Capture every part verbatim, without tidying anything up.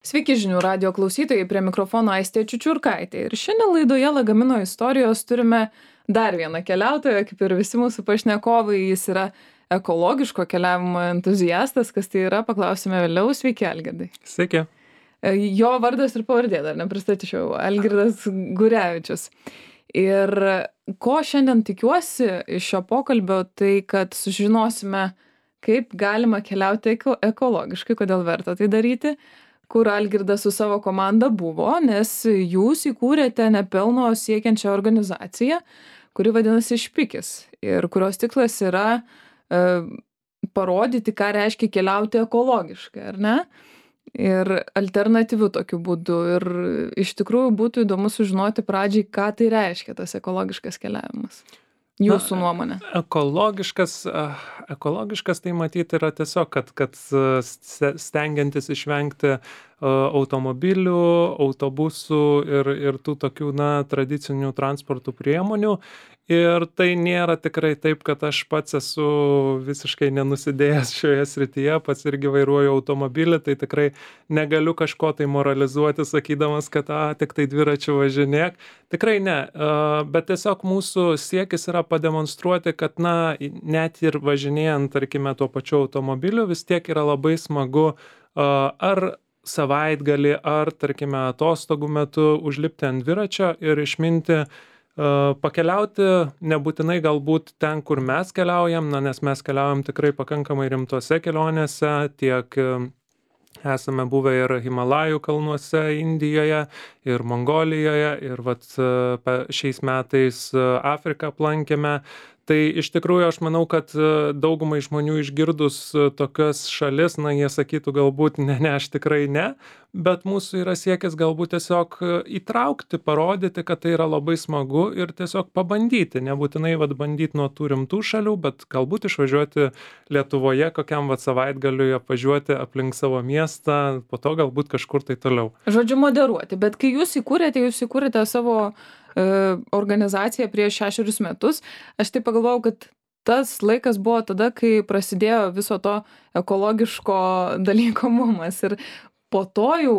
Sveiki žinių radijo klausytojai, prie mikrofono Aistė Čiučiurkaitė. Ir šiandien laidoje Lagamino istorijos turime dar vieną keliautoją, kaip ir visi mūsų pašnekovai. Jis yra ekologiško keliavimo entuziastas, kas tai yra, paklausime vėliau. Sveiki, Algirdai. Sveiki. Jo vardas ir pavardė dar nepristatyčiau. Algirdas Gurevičius. Ir ko šiandien tikiuosi iš šio pokalbio, tai kad sužinosime, kaip galima keliauti eko- ekologiškai, kodėl verta tai daryti, kur Algirdas su savo komanda buvo, nes jūs įkūrėte nepelno siekiančią organizaciją, kuri vadinasi Špikis ir kurios tikslas yra e, parodyti, ką reiškia keliauti ekologiškai, ar ne? Ir alternatyvių tokiu būdu. Ir iš tikrųjų būtų įdomu sužinoti pradžiai, ką tai reiškia tas ekologiškas keliavimas. Jūsų Na, nuomonė. Ekologiškas, ah, ekologiškas tai matyti yra tiesiog, kad, kad ste- stengiantis išvengti ah, automobilių, autobusų ir, ir tų tokių, na, tradicinių transportų priemonių. Ir tai nėra tikrai taip, kad aš pats esu visiškai nenusidėjęs šioje srityje, pats irgi vairuoju automobilį, tai tikrai negaliu kažko tai moralizuoti, sakydamas, kad a, tik tai dviračiu važinėk. Tikrai ne, a, bet tiesiog mūsų siekis yra pademonstruoti, kad na, net ir važinėjant, tarkime, tuo pačiu automobiliu, vis tiek yra labai smagu a, ar savaitgalį, ar, tarkime, atostogų metu užlipti ant dviračio ir išminti, a, pakeliauti nebūtinai galbūt ten, kur mes keliaujam, na, nes mes keliaujam tikrai pakankamai rimtose kelionėse, tiek e, esame buvę ir Himalajų kalnuose Indijoje, ir Mongolijoje, ir vat, e, pe- šiais metais e, Afriką aplankėme. Tai iš tikrųjų aš manau, kad e, daugumai žmonių išgirdus e, tokias šalis, na, jie sakytų galbūt ne, ne, aš tikrai ne, bet mūsų yra siekis galbūt tiesiog e, įtraukti, parodyti, kad tai yra labai smagu ir tiesiog pabandyti, nebūtinai vat, bandyti nuo tų rimtų šalių, bet galbūt išvažiuoti Lietuvoje kokiam vat, savaitgaliui, apvažiuoti aplink savo miestą, po to galbūt kažkur tai toliau. Žodžiu, moderuoti. Bet kai jūs įkūrėte, jūs įkūrėte savo e, organizaciją prieš šešerius metus, aš tai pagalvojau, kad tas laikas buvo tada, kai prasidėjo viso to ekologiško dalyko mumas. Ir po to jau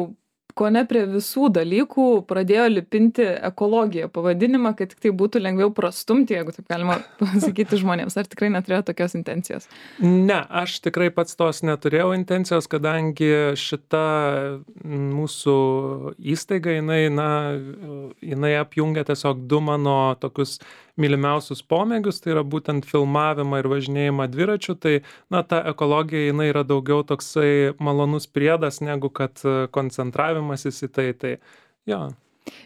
kone prie visų dalykų pradėjo lipinti ekologiją pavadinimą, kad tik tai būtų lengviau prastumti, jeigu taip galima pasakyti žmonėms. Ar tikrai neturėjo tokios intencijos? Ne, aš tikrai pats tos neturėjau intencijos, kadangi šita mūsų įstaiga, jinai, na, jinai apjungia tiesiog du mano tokius mylimiausius pomėgius, tai yra būtent filmavimą ir važinėjimą dviračiu, tai, na, ta ekologija, jinai yra daugiau toksai malonus priedas, negu kad koncentravimasis į tai, tai, jo.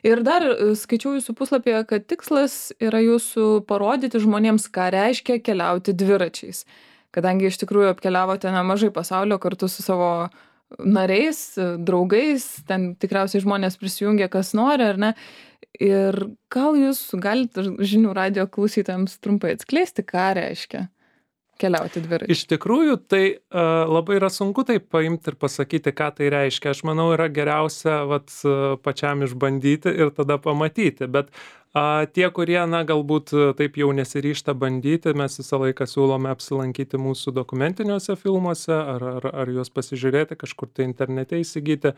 Ir dar e, skaičiau jūsų puslapyje, kad tikslas yra jūsų parodyti žmonėms, ką reiškia keliauti dviračiais. Kadangi iš tikrųjų apkeliavote nemažai pasaulio kartu su savo nariais, e, draugais, ten tikriausiai žmonės prisijungia, kas nori, ar ne. Ir gal jūs galite žinių radijo klausytojams trumpai atskleisti, ką reiškia keliauti dviračiais? Iš tikrųjų, tai uh, labai yra sunku tai paimti ir pasakyti, ką tai reiškia. Aš manau, yra geriausia vat, uh, pačiam išbandyti ir tada pamatyti. Bet uh, tie, kurie, na, galbūt uh, taip jau nesiryžta bandyti, mes visą laiką siūlome apsilankyti mūsų dokumentiniuose filmuose ar, ar, ar juos pasižiūrėti, kažkur tai internete įsigyti.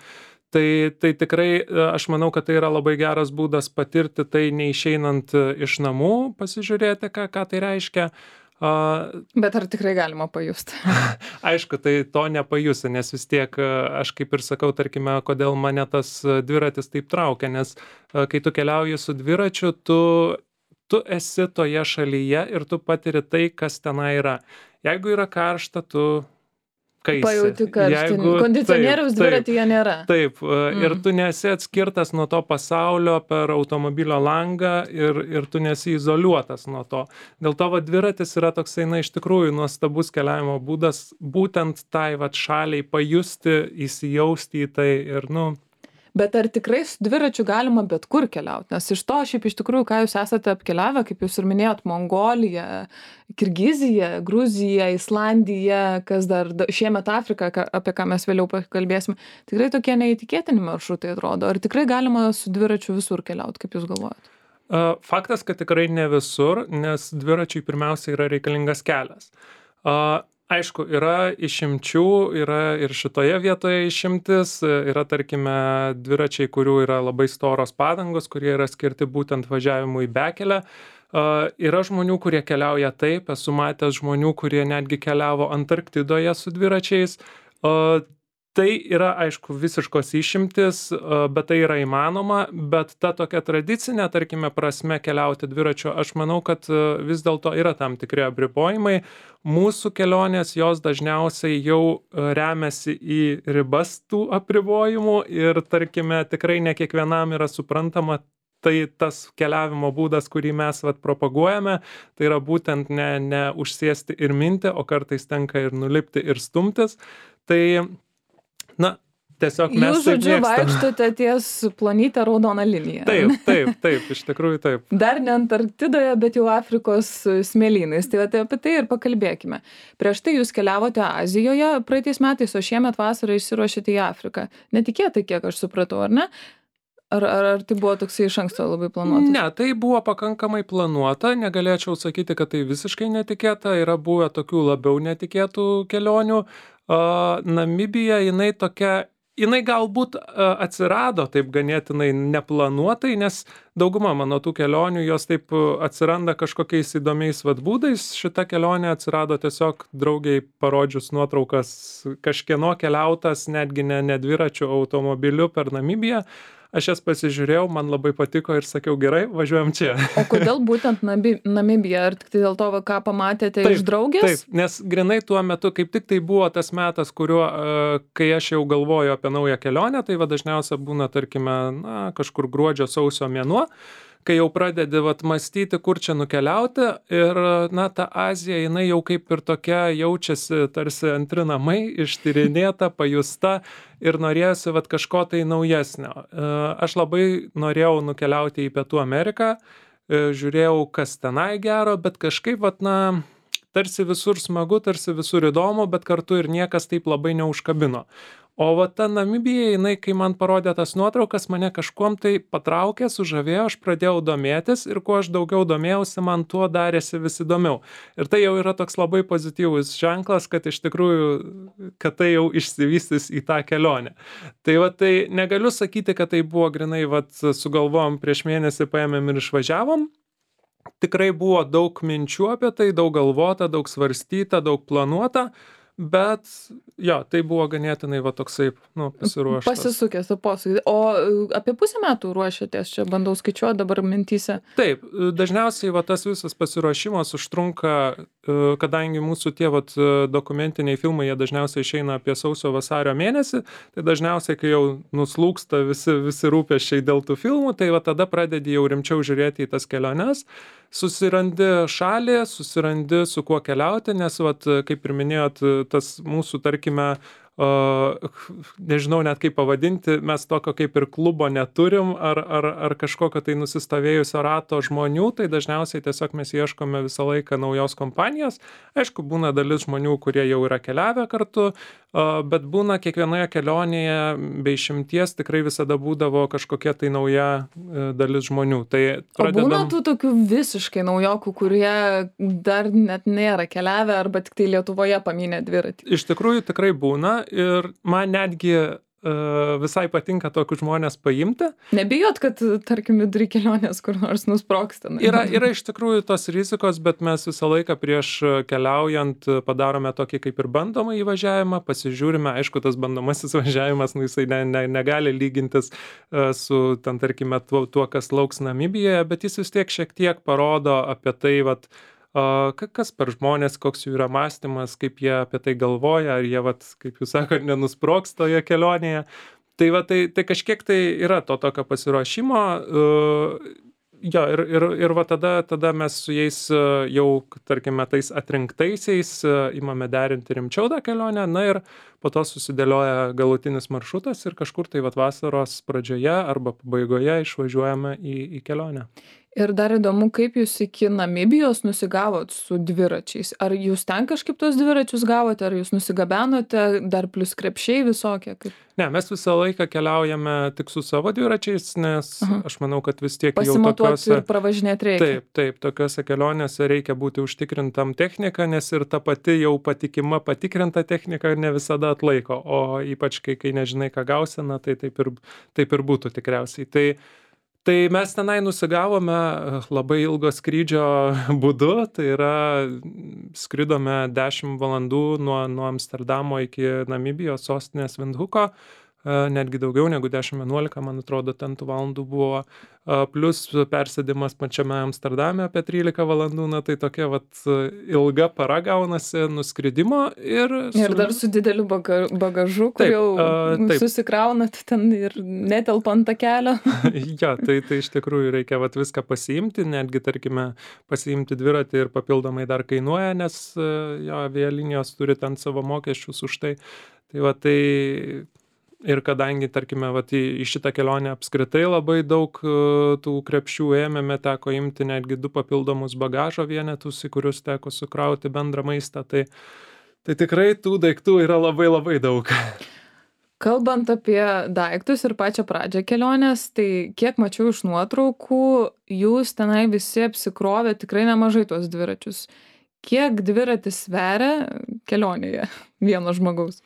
Tai, tai tikrai uh, aš manau, kad tai yra labai geras būdas patirti tai neišeinant uh, iš namų, pasižiūrėti, ką, ką tai reiškia. Uh, Bet ar tikrai galima pajusti? Aišku, tai to nepajusi, nes vis tiek aš kaip ir sakau, tarkime, kodėl mane tas dviratis taip traukia, nes kai tu keliauji su dviračiu, tu, tu esi toje šalyje ir tu patiri tai, kas tenai yra. Jeigu yra karšta, tu kaisi. Pajauti karštį. Jeigu- Kondicionieriaus taip, taip. dviratyje nėra. Taip, mm. ir Mm. tu nesi atskirtas nuo to pasaulio per automobilio langą ir, ir tu nesi izoliuotas nuo to. Dėl to va, dviratis yra toksai, na, iš tikrųjų nuostabus keliavimo būdas, būtent tai va, šaliai pajusti, įsijausti į tai ir, nu, Bet ar tikrai su dviračiu galima bet kur keliauti? Nes iš to šiaip iš tikrųjų, ką jūs esate apkeliavę, kaip jūs ir minėjot, Mongolija, Kirgizija, Gruzija, Islandija, kas dar da- šiemet Afrika, ką- apie ką mes vėliau pakalbėsime, tikrai tokie neįtikėtini maršrutai atrodo. Ar tikrai galima su dviračiu visur keliauti, kaip jūs galvojat? a, faktas, kad tikrai ne visur, nes dviračiui pirmiausia yra reikalingas kelias. A, Aišku, yra išimčių, yra ir šitoje vietoje išimtis, yra tarkime dviračiai, kurių yra labai storos padangos, kurie yra skirti būtent važiavimui į bekelę. Uh, yra žmonių, kurie keliauja taip, esu matęs žmonių, kurie netgi keliavo Antarktidoje su dviračiais. Uh, Tai yra, aišku, visiškos išimtis, bet tai yra įmanoma, bet ta tokia tradicinė, tarkime, prasme keliauti dviračiu, aš manau, kad vis dėlto yra tam tikri apribojimai. Mūsų kelionės, jos dažniausiai jau remiasi į ribas tų apribojimų ir, tarkime, tikrai ne kiekvienam yra suprantama tai tas keliavimo būdas, kurį mes vat propaguojame, tai yra būtent ne, ne užsėsti ir minti, o kartais tenka ir nulipti ir stumtis. Tai na, tiesiog mes Jūs, žodžiu, taip mėgstam. vaikštote ties plonytę raudoną liniją. Taip, taip, taip, iš tikrųjų taip. Dar ne Antarktidoje, bet jau Afrikos smėlynais. Tai, tai apie tai ir pakalbėkime. Prieš tai jūs keliavote Azijoje praeitais metais, o šiemet vasarą išsiruošėte į Afriką. Netikėtai, kiek aš supratau, ar ne? Ar, ar, ar tai buvo toksai iš anksto labai planuotas? Ne, tai buvo pakankamai planuota, negalėčiau sakyti, kad tai visiškai netikėta, yra buvę tokių labiau netikėtų kelionių. Uh, Namibija, jinai tokia, jinai galbūt uh, atsirado taip ganėtinai neplanuotai, nes dauguma mano tų kelionių, jos taip atsiranda kažkokiais įdomiais vat būdais. Šita kelionė atsirado tiesiog draugiai parodžius nuotraukas kažkieno keliautas, netgi ne, ne dviračiu, automobiliu per Namibiją. Aš jas pasižiūrėjau, man labai patiko ir sakiau, gerai, važiuojam čia. O kodėl būtent Namibija? Ar tik tai dėl to, ką pamatėte taip, iš draugės? Taip, nes grinai tuo metu, kaip tik tai buvo tas metas, kuriuo, kai aš jau galvoju apie naują kelionę, tai va dažniausia būna, tarkime, na, kažkur gruodžio sausio mėnuo, kai jau pradedi vat mąstyti, kur čia nukeliauti ir, na, ta Azija, jinai jau kaip ir tokia jaučiasi tarsi antri namai, ištyrinėta, pajusta ir norėjosi vat kažko tai naujesnio. Aš labai norėjau nukeliauti į Pietų Ameriką, žiūrėjau, kas tenai gero, bet kažkaip, vat, na, tarsi visur smagu, tarsi visur įdomu, bet kartu ir niekas taip labai neužkabino. O va ta Namibija, jinai, kai man parodė tas nuotraukas, mane kažkuom tai patraukė, sužavėjo, aš pradėjau domėtis ir kuo aš daugiau domėjausi, man tuo darėsi vis įdomiau. Ir tai jau yra toks labai pozityvus ženklas, kad iš tikrųjų, kad tai jau išsivystys į tą kelionę. Tai va tai negaliu sakyti, kad tai buvo grinai, va sugalvojom prieš mėnesį, paėmėm ir išvažiavom. Tikrai buvo daug minčių apie tai, daug galvota, daug svarstyta, daug planuota. Bet, jo, tai buvo ganėtinai va toksai, nu, pasiruoštas. Pasisukęs, o posūkį. O apie pusę metų ruošiatės, čia bandau skaičiuoti dabar mintyse. Taip, dažniausiai va tas visas pasiruošimas užtrunka, kadangi mūsų tie vat dokumentiniai filmai, jie dažniausiai išeina apie sausio vasario mėnesį, tai dažniausiai, kai jau nuslūksta visi, visi rūpesčiai dėl tų filmų, tai va tada pradedi jau rimčiau žiūrėti į tas keliones. Susirandi šalį, susirandi su kuo keliauti, nes, vat, kaip ir minėjot, tas mūsų, tarkime, uh, nežinau net kaip pavadinti, mes tokio kaip ir klubo neturim, ar, ar, ar kažkokio tai nusistovėjusio rato žmonių, tai dažniausiai tiesiog mes ieškome visą laiką naujos kompanijos. Aišku, būna dalis žmonių, kurie jau yra keliavę kartu, uh, bet būna kiekvienoje kelionėje be išimties tikrai visada būdavo kažkokia tai nauja uh, dalis žmonių. Tai pradedam... O būna tų tokių visiškai naujokų, kurie dar net nėra keliavę arba tik tai Lietuvoje pamynė dviratį? Iš tikrųjų tikrai būna ir man netgi uh, visai patinka tokius žmonės paimti. Nebijot, kad, tarkim, vidury kelionės kur nors nusprogsta? Yra, yra iš tikrųjų tos rizikos, bet mes visą laiką prieš keliaujant padarome tokį kaip ir bandomą įvažiavimą, pasižiūrime, aišku, tas bandomasis važiavimas, nu, jisai ne, ne, negali lygintis uh, su, ten, tarkime, tuo, tuo, kas lauks Namibijoje, bet jis vis tiek šiek tiek parodo apie tai, vat, Uh, kas per žmonės, koks jų yra mąstymas, kaip jie apie tai galvoja, ar jie, vat, kaip jūs sakote, nenusprogs toje kelionėje. Tai, va, tai, tai kažkiek tai yra to tokio pasiruošimo. Uh, jo, ir, ir, ir va tada, tada mes su jais jau, tarkime, tais atrinktaisiais imame derinti rimčiau tą kelionę. Na ir po po to susidėlioja galutinis maršrutas ir kažkur tai vat vasaros pradžioje arba pabaigoje išvažiuojame į, į kelionę. Ir dar įdomu, kaip jūs iki Namibijos nusigavot su dviračiais. Ar jūs ten kažkaip tos dviračius gavote, ar jūs nusigabenote, dar plus krepšiai visokie? Kaip... Ne, mes visą laiką keliaujame tik su savo dviračiais, nes Aha. aš manau, kad vis tiek jau tokiuose... ir pravažinėti reikia. Taip, taip, tokiuose kelionėse reikia būti užtikrintam techniką, nes ir ta pati jau patikima patikrinta technika ne visada atlaiko, o ypač kai, kai nežinai, ką gausi, na, tai taip ir, taip ir būtų tikriausiai. Tai Tai mes tenai nusigavome labai ilgo skrydžio būdu, tai yra skridome dešimt valandų nuo, nuo Amsterdamo iki Namibijos sostinės Vindhuko, netgi daugiau negu dešimt vienuolika, man atrodo, ten tų valandų buvo, plus persėdimas pačiame Amsterdame apie trylika valandų, na tai tokia vat ilga para gaunasi nuskridimo ir... Su... Ir dar su dideliu bagažu, kur taip, jau taip. Susikraunat ten ir netelpant tą kelią. Ja, tai, tai iš tikrųjų reikia vat viską pasiimti, netgi, tarkime, pasiimti dviratį ir papildomai dar kainuoja, nes jo, avialinijos turi ten savo mokesčius už tai. Tai va, tai... Ir kadangi, tarkime, vat, į, į šitą kelionę apskritai labai daug uh, tų krepšių ėmėme, teko imti netgi du papildomus bagažo vienetus, į kurius teko sukrauti bendrą maistą, tai, tai tikrai tų daiktų yra labai labai daug. Kalbant apie daiktus ir pačią pradžią kelionės, tai kiek mačiau iš nuotraukų, jūs tenai visi apsikrovė tikrai nemažai tuos dviračius. Kiek dviratis sveria kelionėje vieno žmogaus?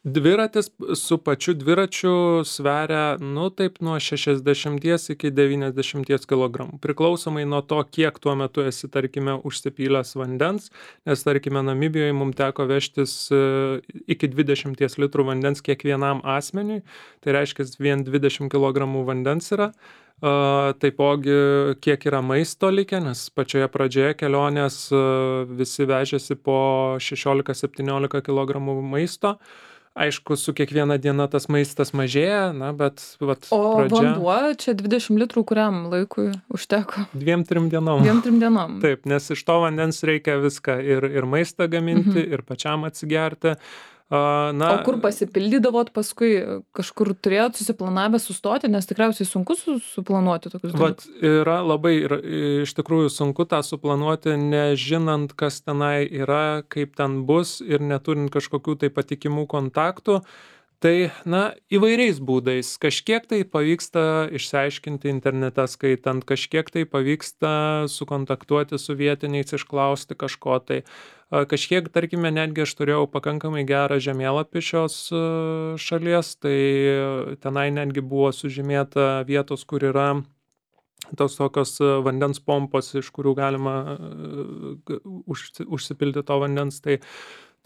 Dviratis su pačiu dviračiu sveria, nu taip, nuo šešiasdešimt iki devyniasdešimt kilogramų. Priklausomai nuo to, kiek tuo metu esi, tarkime, užsipylęs vandens, nes, tarkime, Namibijoje mums teko vežtis iki dvidešimt litrų vandens kiekvienam asmeniui, tai reiškia, vien dvidešimt kilogramų vandens yra. Uh, taipogi, kiek yra maisto likę, nes pačioje pradžioje kelionės uh, visi vežėsi po šešiolika septyniolika kilogramų maisto. Aišku, su kiekviena diena tas maistas mažėja, na, bet vat, o pradžia... vanduo čia dvidešimt litrų kuriam laikui užteko? Dviem, trim dienom. Dviem, trim dienom. Taip, nes iš to vandens reikia viską ir, ir maistą gaminti, mhm. ir pačiam atsigerti. Na, o kur pasipildydavot paskui, kažkur turėjot susiplanavę sustoti, nes tikriausiai sunku su, suplanuoti tokius dalykus? Vat yra labai, yra, iš tikrųjų sunku tą suplanuoti, nežinant, kas tenai yra, kaip ten bus ir neturint kažkokių tai patikimų kontaktų. Tai, na, įvairiais būdais. Kažkiek tai pavyksta išsiaiškinti internete skaitant, kažkiek tai pavyksta sukontaktuoti su vietiniais, išklausti kažko tai. Kažkiek, tarkime, netgi aš turėjau pakankamai gerą žemėlapį šios šalies, tai tenai netgi buvo sužymėta vietos, kur yra tos tokios vandens pompos, iš kurių galima užsipilti to vandens. Tai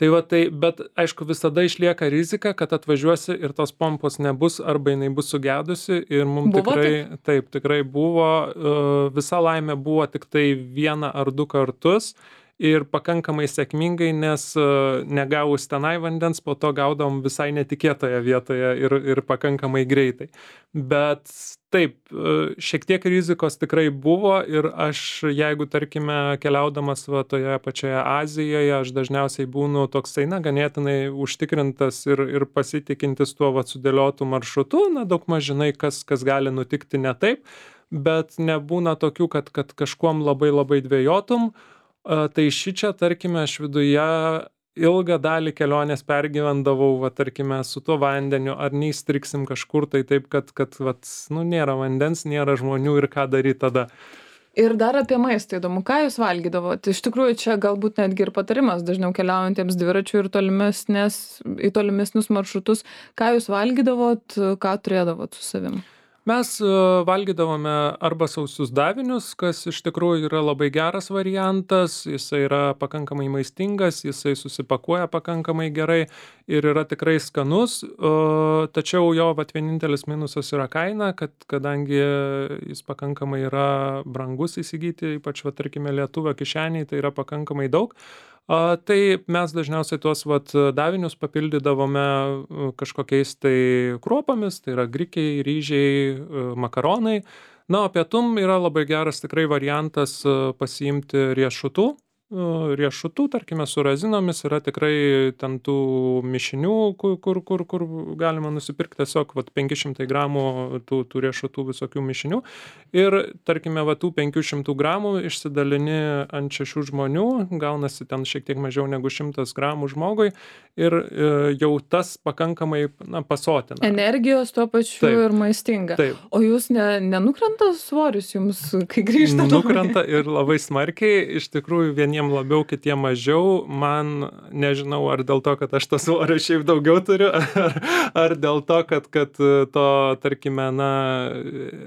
Tai va, tai, bet aišku, visada išlieka rizika, kad atvažiuosi ir tos pompos nebus arba jinai bus sugedusi ir mums tikrai, taip? taip, tikrai buvo, visa laimė buvo tik tai vieną ar du kartus ir pakankamai sėkmingai, nes negavus tenai vandens, po to gaudom visai netikėtoje vietoje ir, ir pakankamai greitai. Bet taip, šiek tiek rizikos tikrai buvo ir aš, jeigu, tarkime, keliaudamas va, toje pačioje Azijoje, aš dažniausiai būnu toksai, na, ganėtinai užtikrintas ir, ir pasitikintis tuo va, sudėliotų maršrutu, na, daug maž žinai, kas, kas gali nutikti ne taip, bet nebūna tokių, kad, kad kažkuom labai labai dvejotum. Tai šičia, tarkime, aš viduje ilgą dalį kelionės pergyvendavau, va, tarkime, su tuo vandeniu, ar neįstriksim kažkur, tai taip, kad, kad vat, nu, nėra vandens, nėra žmonių ir ką daryti tada. Ir dar apie maistą įdomu, ką jūs valgydavot? Iš tikrųjų, čia galbūt netgi ir patarimas dažniau keliaujantiems dviračių ir tolimesnės, į tolimesnius maršrutus. Ką jūs valgydavot, ką turėdavot su savim? Mes valgydavome arba sausius davinius, kas iš tikrųjų yra labai geras variantas, jisai yra pakankamai maistingas, jisai susipakuoja pakankamai gerai ir yra tikrai skanus, tačiau jo vat, vienintelis minusas yra kaina, kad kadangi jis pakankamai yra brangus įsigyti, ypač, vat, tarkime, lietuvio kišeniai, tai yra pakankamai daug. A, tai mes dažniausiai tuos vat, davinius papildydavome kažkokiais tai kruopomis, tai yra grikiai, ryžiai, makaronai. Na, o pietum yra labai geras tikrai variantas pasiimti riešutų riešutų, tarkime, su razinomis, yra tikrai ten tų mišinių, kur, kur, kur, kur galima nusipirkti tiesiog vat, penki šimtai gramų tų, tų riešutų visokių mišinių. Ir, tarkime, va, tų penkių šimtų gramų išsidalini ant šešių žmonių, gaunasi ten šiek tiek mažiau negu šimtas gramų žmogui ir e, jau tas pakankamai na, pasotina. Energijos tuo pačiu taip, ir maistinga. Taip. O jūs ne, nenukrenta svoris jums, kai grįžtate? Nukrenta ir labai smarkiai, iš tikrųjų vieniems labiau, kitiem mažiau. Man nežinau, ar dėl to, kad aš to svorio šiaip daugiau turiu, ar, ar dėl to, kad, kad to, tarkime, na,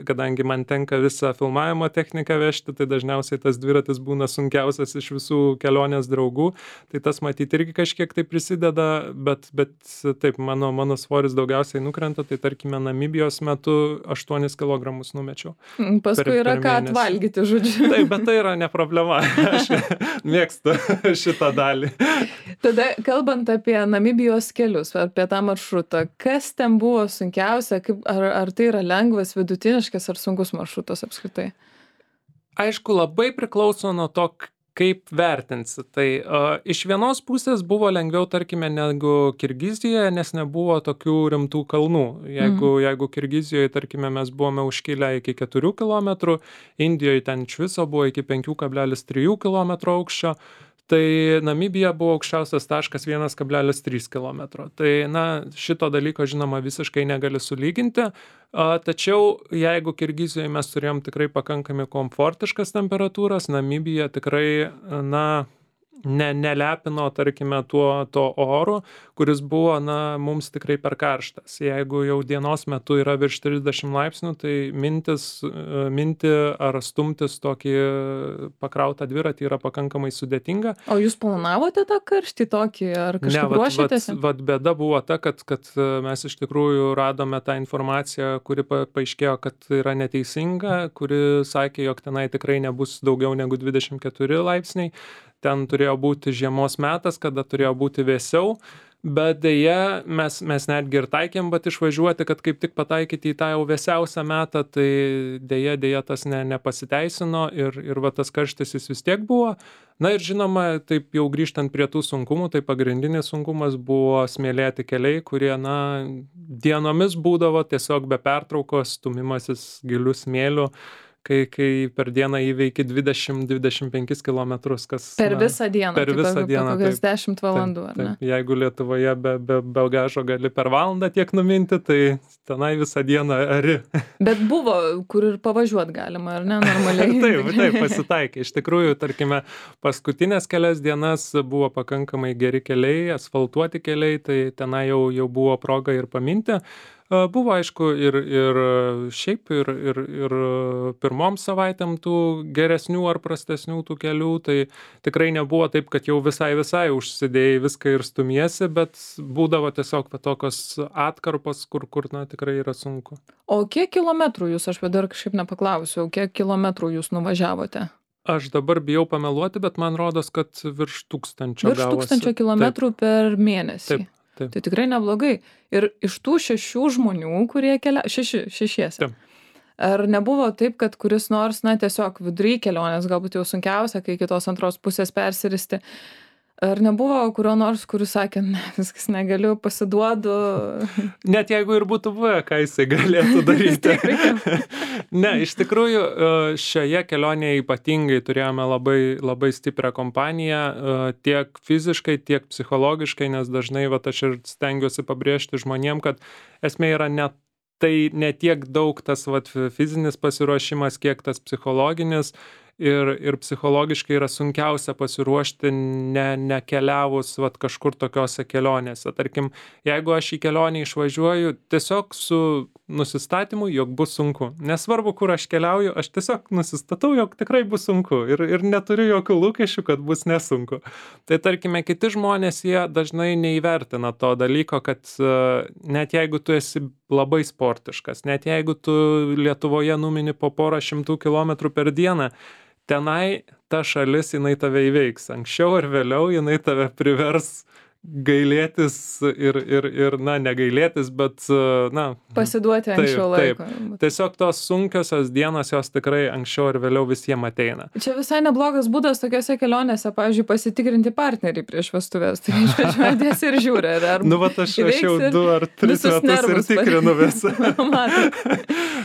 kadangi man tenka visą filmavimo techniką vežti, tai dažniausiai tas dviratis būna sunkiausias iš visų kelionės draugų. Tai tas matyti irgi kažkiek tai prisideda, bet, bet taip, mano, mano svoris daugiausiai nukrenta, tai tarkime, Namibijos metu aštuonis kilogramus numečiau. Paskui per, yra per ką atvalgyti, žodžiu. Taip, bet tai yra ne problema. Aš mėgstu šitą dalį. Tada, kalbant apie Namibijos kelius, apie tą maršrutą, kas ten buvo sunkiausia, kaip, ar, ar tai yra lengvas, vidutiniškas ar sunkus maršrutas apskritai? Aišku, labai priklauso nuo to, kaip vertinsi. Tai uh, iš vienos pusės buvo lengviau, tarkime, negu Kirgizijoje, nes nebuvo tokių rimtų kalnų. Jeigu, mm. jeigu Kirgizijoje, tarkime, mes buvome užkilę iki keturių kilometrų, Indijoje ten iš viso buvo iki penki kablelis trys kilometro aukščio, tai Namibija buvo aukščiausias taškas vienas kablelis trys kilometro. Tai, na, šito dalyko, žinoma, visiškai negali sulyginti. A, tačiau, jeigu Kirgizijoje mes turėjom tikrai pakankamai komfortiškas temperatūras, Namibija tikrai, na, ne, nelepino, tarkime, tuo, to oru, kuris buvo, na, mums tikrai per karštas. Jeigu jau dienos metu yra virš trisdešimt laipsnių, tai mintis, minti ar stumtis tokį pakrautą dviratį yra pakankamai sudėtinga. O jūs planavote tą karštį tokį, ar kažkaip ruošėtės? Ne, vat, vat bėda buvo ta, kad, kad mes iš tikrųjų radome tą informaciją, kuri pa, paaiškėjo, kad yra neteisinga, kuri sakė, jog tenai tikrai nebus daugiau negu dvidešimt keturi laipsniai. Ten turėjo būti žiemos metas, kada turėjo būti vėsiau, bet dėja mes, mes netgi ir taikėm, bet išvažiuoti, kad kaip tik pataikyti į tą jau vėsiausią metą, tai dėja, dėja tas ne, nepasiteisino ir, ir va tas karštis jis vis tiek buvo. Na ir žinoma, taip jau grįžtant prie tų sunkumų, tai pagrindinis sunkumas buvo smėlėti keliai, kurie, na, dienomis būdavo tiesiog be pertraukos, stumimasis gilių smėlių. Kai, kai per dieną įveiki dvidešimt dvidešimt penkis kilometrus, kas... Per visą dieną, per visą kaip, dieną, kokias dešimt valandų, taip, ar ne? Taip, jeigu Lietuvoje be, be bagažo gali per valandą tiek numinti, tai tenai visą dieną ari. Bet buvo, kur ir pavažiuoti galima, ar ne, normaliai? Taip, taip, pasitaikė. Iš tikrųjų, tarkime, paskutinės kelias dienas buvo pakankamai geri keliai, asfaltuoti keliai, tai tenai jau, jau buvo proga ir paminti. Buvo, aišku, ir, ir šiaip, ir, ir, ir pirmom savaitėm tų geresnių ar prastesnių tų kelių, tai tikrai nebuvo taip, kad jau visai visai užsidėjai viską ir stumiesi, bet būdavo tiesiog tokios atkarpos, kur, kur na, tikrai yra sunku. O kiek kilometrų jūs, aš dar kažkaip nepaklausiau, kiek kilometrų jūs nuvažiavote? Aš dabar bijau pameluoti, bet man rodos, kad virš tūkstančio virš gavosi. Virš tūkstančio kilometrų taip. Per mėnesį. Taip. Taip. Tai tikrai neblogai. Ir iš tų šešių žmonių, kurie kelia... Šeši, šešiese. Taip. Ar nebuvo taip, kad kuris nors, na, tiesiog vidury kelionės, galbūt jau sunkiausia, kai kitos antros pusės persiristi, ar nebuvo kurio nors, kuris sakė, ne, viskas negaliu, pasiduodu? Net jeigu ir būtų buvę, ką jisai galėtų daryti. Ne, iš tikrųjų, šioje kelionėje ypatingai turėjome labai, labai stiprią kompaniją, tiek fiziškai, tiek psichologiškai, nes dažnai, va, aš ir stengiuosi pabrėžti žmonėm, kad esmė yra ne tai ne tiek daug tas, va, fizinis pasiruošimas, kiek tas psichologinis. Ir, ir psichologiškai yra sunkiausia pasiruošti ne, nekeliavus vat, kažkur tokiose kelionėse. Tarkim, jeigu aš į kelionę išvažiuoju tiesiog su nusistatymu, jog bus sunku. Nesvarbu, kur aš keliauju, aš tiesiog nusistatau, jog tikrai bus sunku ir, ir neturiu jokių lūkesčių, kad bus nesunku. Tai tarkime, kiti žmonės, jie dažnai neįvertina to dalyko, kad uh, net jeigu tu esi labai sportiškas, net jeigu tu Lietuvoje numini po porą šimtų kilometrų per dieną, tenai ta šalis, jinai tave įveiks. Anksčiau ar vėliau jinai tave privers gailėtis ir, ir, ir, na, negailėtis, bet, na. Pasiduoti anksčiau laiko. Taip. Tiesiog tos sunkiosios dienos, jos tikrai anksčiau ir vėliau visiems ateina. Čia visai neblogas būdas tokiose kelionėse, pavyzdžiui, pasitikrinti partnerį prieš vestuvės. Tai išvažiuodės ir žiūri, ar, ar nu, vat aš, aš jau du ar tris metus ir tikrinu visą.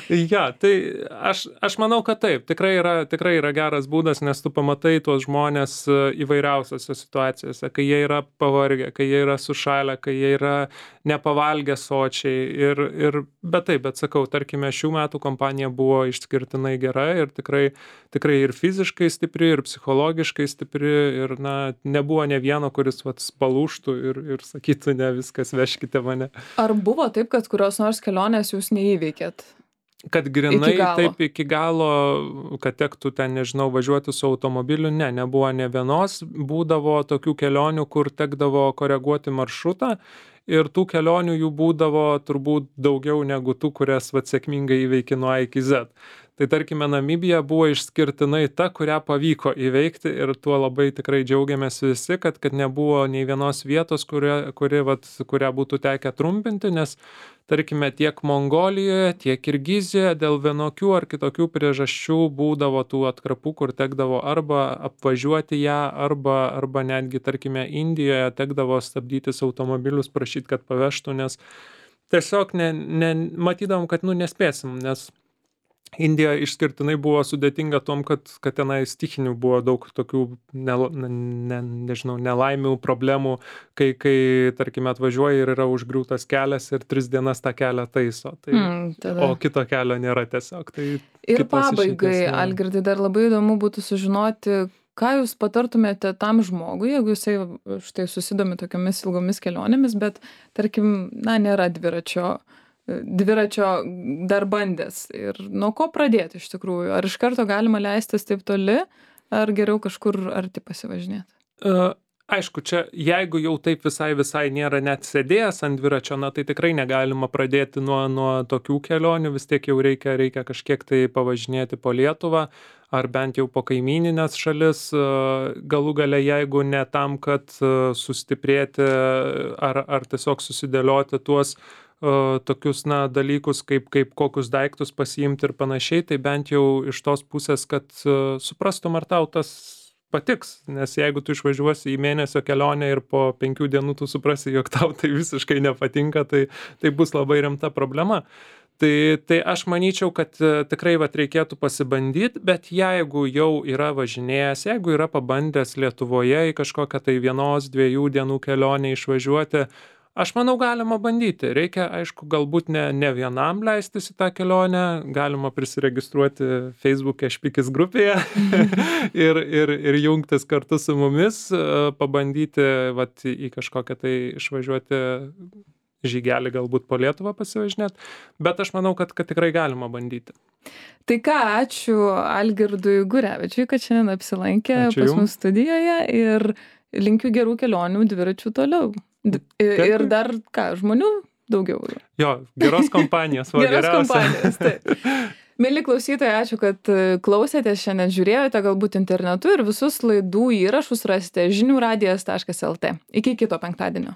Ja, tai aš, aš manau, kad taip, tikrai yra, tikrai yra geras būdas, nes tu pamatai tuos žmonės įvairiausiose situacijose, kai jie yra pavargę, kai jie yra sušalę, kai jie yra nepavalgę sočiai. Ir, ir, bet taip, bet sakau, tarkime, šių metų kompanija buvo išskirtinai gera ir tikrai, tikrai ir fiziškai stipri, ir psichologiškai stipri, ir na, nebuvo ne vieno, kuris vat, palūštų ir, ir sakytų, ne, viskas, veškite mane. Ar buvo taip, kad kurios nors kelionės jūs neįveikėt? Kad grinai iki taip iki galo, kad tektų ten, nežinau, važiuoti su automobiliu, ne, nebuvo ne vienos, būdavo tokių kelionių, kur tekdavo koreguoti maršrutą ir tų kelionių jų būdavo turbūt daugiau negu tų, kurias vat, sėkmingai įveiki nuo A iki Z. Tai tarkime, Namibija buvo išskirtinai ta, kurią pavyko įveikti ir tuo labai tikrai džiaugiamės visi, kad, kad nebuvo nei vienos vietos, kuria, kuri, vat, kurią būtų tekę trumpinti, nes tarkime, tiek Mongolijoje, tiek Kirgizijoje dėl vienokių ar kitokių priežasčių būdavo tų atkarpų, kur tekdavo arba apvažiuoti ją, arba, arba netgi, tarkime, Indijoje tekdavo stabdytis automobilius, prašyti, kad pavežtų, nes tiesiog ne, ne, matydavom, kad nu, nespėsim, nes Indija išskirtinai buvo sudėtinga tom, kad, kad tenai stichinių buvo daug tokių, ne, ne, nežinau, nelaimių, problemų, kai, kai, tarkime, atvažiuoja ir yra užgriūtas kelias ir tris dienas tą kelią taiso. Tai, mm, o kito kelio nėra tiesiog. Tai ir pabaigai, Algirdai, dar labai įdomu būtų sužinoti, ką jūs patartumėte tam žmogui, jeigu jisai štai susidomi tokiamis ilgomis kelionėmis, bet, tarkim, na, nėra dviračio dviračio dar bandęs. Ir nuo ko pradėti iš tikrųjų? Ar iš karto galima leistis taip toli, ar geriau kažkur arti pasivažinėti? Uh, aišku, čia jeigu jau taip visai visai nėra net sėdėjęs ant dviračio, na tai tikrai negalima pradėti nuo, nuo tokių kelionių, vis tiek jau reikia, reikia kažkiek tai pavažinėti po Lietuvą, ar bent jau po kaimyninės šalis, galų gale, jeigu ne tam, kad sustiprėti ar, ar tiesiog susidėlioti tuos tokius, na, dalykus, kaip, kaip kokius daiktus pasiimti ir panašiai, tai bent jau iš tos pusės, kad suprastum, ar tau tas patiks, nes jeigu tu išvažiuosi į mėnesio kelionę ir po penkių dienų tu suprasi, jog tau tai visiškai nepatinka, tai, tai bus labai rimta problema. Tai, tai aš manyčiau, kad tikrai vat, reikėtų pasibandyti, bet jeigu jau yra važinėjęs, jeigu yra pabandęs Lietuvoje į kažkokią tai vienos, dviejų dienų kelionę išvažiuoti, aš manau, galima bandyti. Reikia, aišku, galbūt ne, ne vienam leistis į tą kelionę, galima prisiregistruoti Facebook'e Špikis grupėje ir, ir, ir jungtis kartu su mumis, pabandyti vat, į kažkokią tai išvažiuoti žygelį, galbūt po Lietuvą pasivažinėti, bet aš manau, kad, kad tikrai galima bandyti. Tai ką, ačiū Algirdui Gurevičiui, kad šiandien apsilankė ačiū pas mus studijoje ir linkiu gerų kelionių dviračių toliau. D ir dar, ką, žmonių daugiau. Jo, geros kompanijos. Va, geros kompanijos, taip. Mieli klausytojai, ačiū, kad klausėtės, šiandien žiūrėjote galbūt internetu ir visus laidų įrašus rasite žinių radijas taškas lt. Iki kito penktadienio.